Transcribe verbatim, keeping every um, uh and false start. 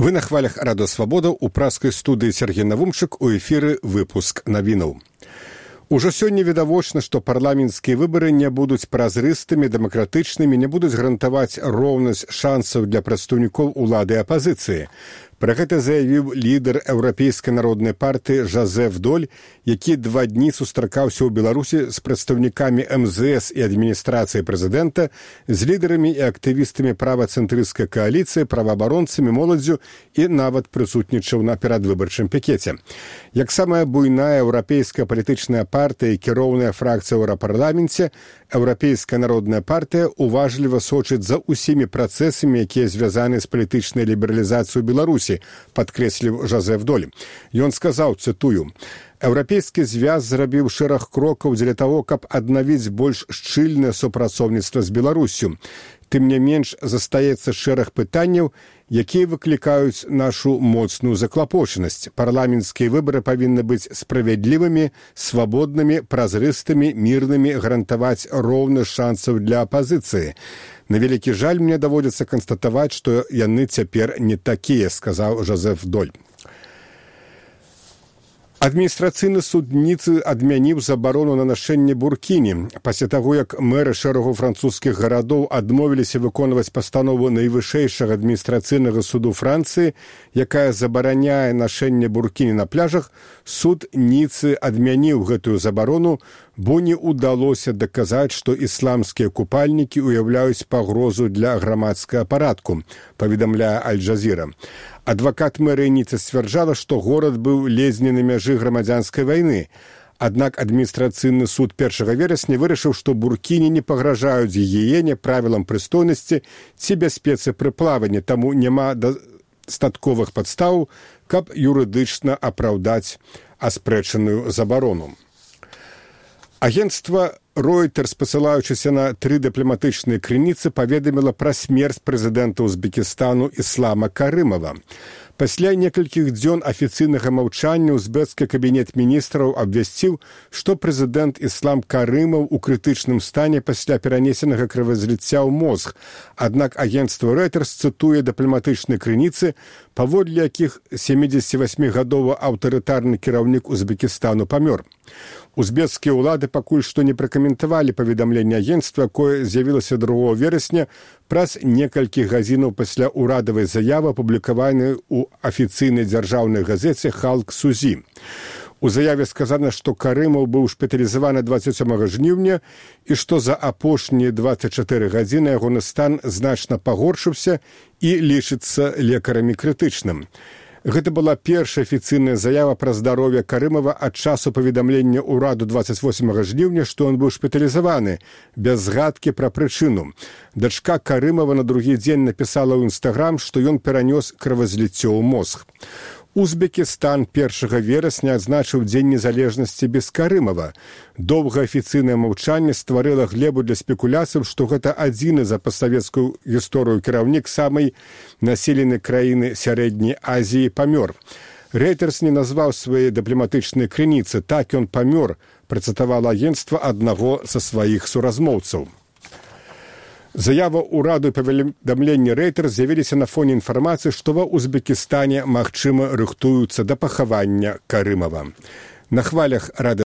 Вы на хвалях Радио Свабода у праскай студыі Сергей Навумчык, у эфіры выпуск навінаў. Ужо сёння відавочна, што парламенцкія выбары не будуць празрыстымі, дэмакратычнымі, не будуць гарантаваць роўнасць шансаў для прадстаўнікоў улады і апазіцыі. Пра гэта заявіў лідар Еўрапейскай народнай партыі Жозеф Доль, які два дні сустракаўся ў Беларусі з прадстаўнікамі эм зэ эс і адміністрацыі прэзідэнта, з лідарамі і актывістамі правацэнтрысцкай кааліцыі, праваабаронцамі, моладдзю і нават прысутнічаў на перадвыбарчым пікеце. Як самая буйная еўрапейская палітычная партыя і кіроўная фракцыя ў еўрапарламенце, Еўрапейская народная партыя уважліва сочыць за ўсімі працэсамі, якія звязаны з палітычнай лібералізацыяй Беларусі, падкрэсліў Жозеф Доль. Ён сказаў, цытую, «Еўрапейскі звяз зрабіў шэраг крокаў дзеля таго, каб аднавіць больш шчыльнае супрацоўніцтва з Беларуссю. Тым не менш, застаецца шэраг пытанняў, якія выклікаюць нашу моцную заклапочанасць. Парламенцкія выбары павінны быць справядлівымі, свабоднымі, празрыстымі, мірнымі, гарантаваць роўны шансаў для апазіцыі. На вялікі жаль, мне даводзіцца канстатаваць, што яны цяпер не такія», сказаў Жозеф Доль. Адміністрацыйны суд Ніцы адмяніў забарону на нашэнне буркіні. Пасля таго, як мэры шэрагу французскіх гарадоў адмовіліся выконваць пастанову найвышэйшага адміністрацыйнага суду Францыі, якая забараняе нашэнне буркіні на пляжах, суд Ніцы адмяніў гэтую забарону, бо не ўдалося даказаць, што ісламскія купальнікі ўяўляюць пагрозу для грамадскага парадку, паведамляе Аль-Джазіра. Адвакат мэрыі Ніцы сцвярджала, што горад быў ледзьве на мяжы грамадзянскай вайны. Аднак адміністрацыйны суд першага верасня вырашыў, што буркіні не пагражаюць гігіене, правілам прыстойнасці ці бяспецы пры плаванні, таму няма дастатковых падстаў, каб юрыдычна апраўдаць аспрэчаную забарону. Агентства Reuters, спасылаючыся на тры дыпламатычныя крыніцы, паведаміла пра смерць прэзідэнта Узбекістану Іслама Карымова. Пасля некалькіх дзён афіцыйнага маўчання узбекскі кабінет міністраў абвясціў, што прэзідэнт Іслам Карымаў у крытычным стане пасля перанесенага крывазліцця ў мозг. Аднак агентства Reuters цытуе дыпламатычныя крыніцы, паводле якіх сямідзесяцівасьмігадовы аўтарытарны кіраўнік Узбекістану памёр. Узбекскія ўлады пакуль што не пракаментавалі паведамленне агентства, якое з'явілася другога верасня праз некалькі гадзінаў пасля ўрадавай заявы, апублікаванай у афіцыйнай дзяржаўнай газеце «Халк Сузі». У заяве сказана, што Карымаў быў шпіталізаваны дваццаць сёмага жніўня і што за апошнія дваццаць чатыры гадзіны ягоны стан значна пагоршыўся і лічыцца лекарамі крытычным. Гэта была першая афіцыйная заява пра здароўе Карымава ад часу паведамлення ўраду дваццаць восьмага жніўня, што ён быў шпіталізаваны, без згадкі пра прычыну. Дачка Карымава на другі дзень напісала ў Інстаграм, што ён перанёс крывазліццё ў мозг. Узбекістан першага верасня адзначыў Дзень незалежнасці без Карымава. Доўгае афіцыйнае маўчанне стварыла глебу для спекуляцыяў, што гэта адзіны за пастсавецкую гісторыю кіраўнік самай населенай краіны Сярэдняй Азіі памёр. Reuters не назваў свае дыпламатычныя крыніцы. Так ён памёр, працытавала агентства аднаго са сваіх суразмоўцаў. Заява ўраду і паведамленне Reuters з'явіліся на фоне інфармацыі, што ва Узбекістане, магчыма, рыхтуюцца да пахавання Карымава. На хвалях Радыё